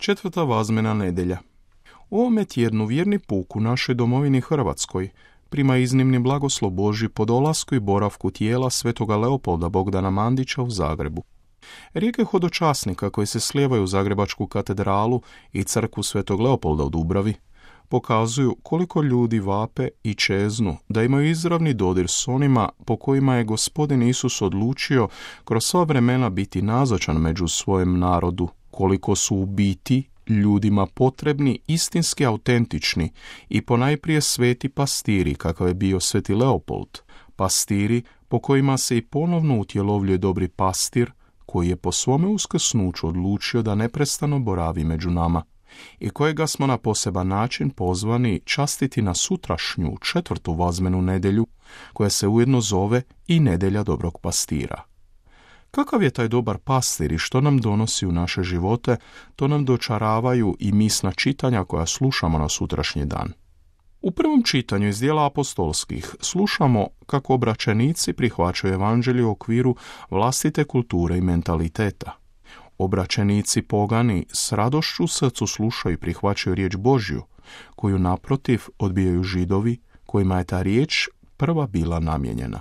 Četvrta vazmena nedjelja. U ovome tjednu vjerni puk u našoj domovini Hrvatskoj prima iznimni blagoslov Božji po dolasku i boravku tijela svetoga Leopolda Bogdana Mandića u Zagrebu. Rijeke hodočasnika koji se slijevaju u Zagrebačku katedralu i crkvu svetog Leopolda u Dubravi pokazuju koliko ljudi vape i čeznu da imaju izravni dodir s onima po kojima je Gospodin Isus odlučio kroz sva vremena biti nazočan među svojem narodu, koliko su u biti ljudima potrebni, istinski autentični i ponajprije sveti pastiri kakav je bio sveti Leopold, pastiri po kojima se i ponovno utjelovljuje dobri pastir koji je po svome uskrsnuću odlučio da neprestano boravi među nama i kojega smo na poseban način pozvani častiti na sutrašnju četvrtu vazmenu nedjelju, koja se ujedno zove i nedjelja dobrog pastira. Kakav je taj dobar pastir i što nam donosi u naše živote, to nam dočaravaju i misna čitanja koja slušamo na sutrašnji dan. U prvom čitanju iz djela apostolskih slušamo kako obraćenici prihvaćaju evanđelje u okviru vlastite kulture i mentaliteta. Obraćenici pogani s radošću u srcu slušaju i prihvaćaju riječ Božju, koju naprotiv odbijaju Židovi, kojima je ta riječ prva bila namijenjena.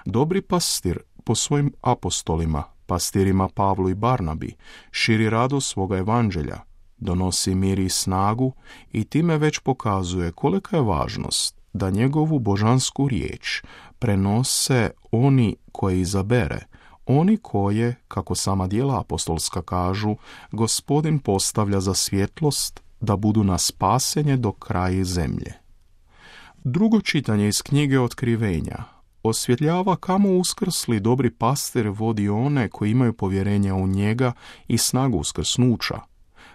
Dobri pastir po svojim apostolima, pastirima Pavlu i Barnabi, širi radost svoga evanđelja, donosi mir i snagu i time već pokazuje kolika je važnost da njegovu božansku riječ prenose oni koje izabere, oni koje, kako sama djela apostolska kažu, Gospodin postavlja za svjetlost da budu na spasenje do kraja zemlje. Drugo čitanje iz knjige Otkrivenja osvjetljava kamo uskrsli dobri pastir vodi one koji imaju povjerenja u njega i snagu uskrsnuća.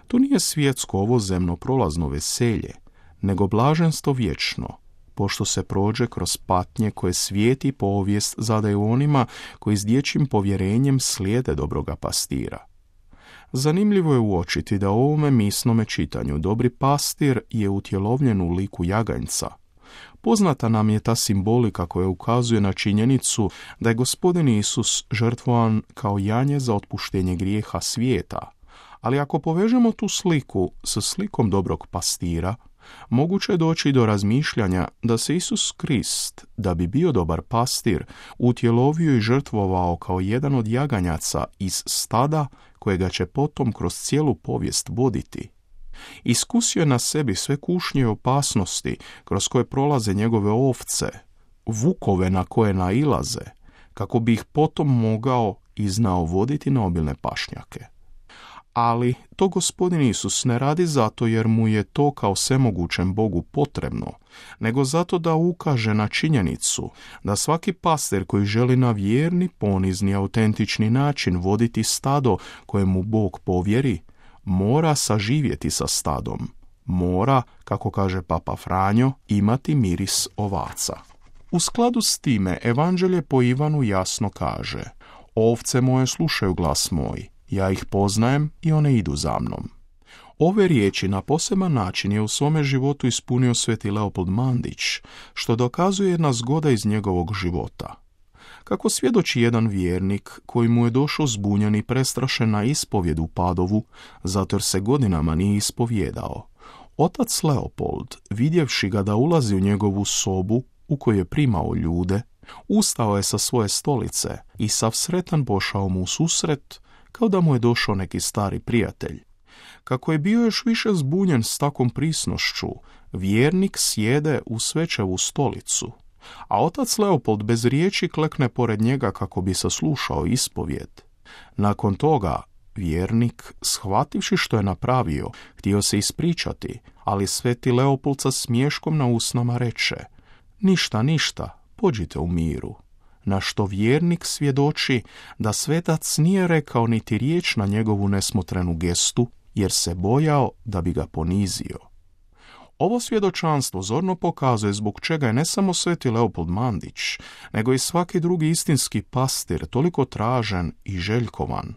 To nije svjetsko ovozemno prolazno veselje, nego blaženstvo vječno, pošto se prođe kroz patnje koje svijet i povijest zadaju onima koji s dječjim povjerenjem slijede dobroga pastira. Zanimljivo je uočiti da u ovome misnome čitanju dobri pastir je utjelovljen u liku jaganjca. Poznata nam je ta simbolika koja ukazuje na činjenicu da je Gospodin Isus žrtvovan kao janje za otpuštenje grijeha svijeta, ali ako povežemo tu sliku sa slikom dobrog pastira, moguće je doći do razmišljanja da se Isus Krist, da bi bio dobar pastir, utjelovio i žrtvovao kao jedan od jaganjaca iz stada kojega će potom kroz cijelu povijest voditi. Iskusio je na sebi sve kušnje i opasnosti kroz koje prolaze njegove ovce, vukove na koje nailaze, kako bi ih potom mogao i znao voditi na obilne pašnjake. Ali to Gospodin Isus ne radi zato jer mu je to kao svemogućem Bogu potrebno, nego zato da ukaže na činjenicu da svaki pastir koji želi na vjerni, ponizni, autentični način voditi stado kojemu Bog povjeri, mora saživjeti sa stadom. Mora, kako kaže Papa Franjo, imati miris ovaca. U skladu s time, evanđelje po Ivanu jasno kaže: ovce moje slušaju glas moj, ja ih poznajem i one idu za mnom. Ove riječi na poseban način je u svome životu ispunio sveti Leopold Mandić, što dokazuje jedna zgoda iz njegovog života. Kako svjedoči jedan vjernik koji mu je došao zbunjen i prestrašen na ispovjed u Padovu, zato jer se godinama nije ispovjedao, otac Leopold, vidjevši ga da ulazi u njegovu sobu u kojoj je primao ljude, ustao je sa svoje stolice i sav sretan pošao mu u susret, kao da mu je došao neki stari prijatelj. Kako je bio još više zbunjen s takvom prisnošću, vjernik sjede u svečevu stolicu, a otac Leopold bez riječi klekne pored njega kako bi saslušao ispovjed. Nakon toga, vjernik, shvativši što je napravio, htio se ispričati, ali sveti Leopold sa smiješkom na usnama reče: ništa, pođite u miru. Na što vjernik svjedoči da svetac nije rekao niti riječ na njegovu nesmotrenu gestu, jer se bojao da bi ga ponizio. Ovo svjedočanstvo zorno pokazuje zbog čega je ne samo sveti Leopold Mandić, nego i svaki drugi istinski pastir toliko tražen i željkovan.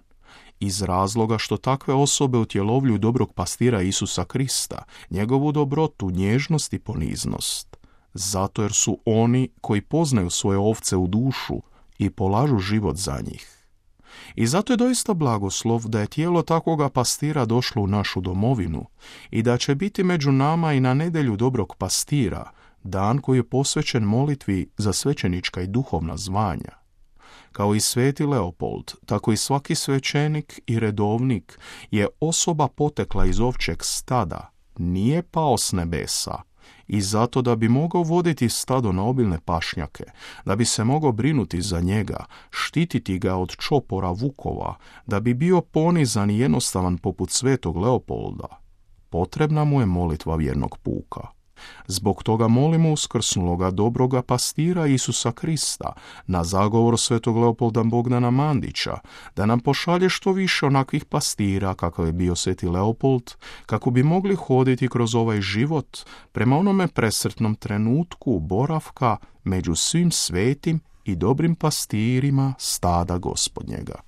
Iz razloga što takve osobe utjelovljuju dobrog pastira Isusa Krista, njegovu dobrotu, nježnost i poniznost. Zato jer su oni koji poznaju svoje ovce u dušu i polažu život za njih. I zato je doista blagoslov da je tijelo takvoga pastira došlo u našu domovinu i da će biti među nama i na nedjelju dobrog pastira, dan koji je posvećen molitvi za svećenička i duhovna zvanja. Kao i sveti Leopold, tako i svaki svećenik i redovnik je osoba potekla iz ovčjeg stada, nije pao s nebesa, i zato da bi mogao voditi stado na obilne pašnjake, da bi se mogao brinuti za njega, štititi ga od čopora vukova, da bi bio ponizan i jednostavan poput svetog Leopolda, potrebna mu je molitva vjernog puka. Zbog toga molimo uskrsnuloga dobroga pastira Isusa Krista na zagovor svetog Leopolda Bogdana Mandića da nam pošalje što više onakvih pastira kakav je bio sveti Leopold, kako bi mogli hoditi kroz ovaj život prema onome presretnom trenutku boravka među svim svetim i dobrim pastirima stada Gospodnjega.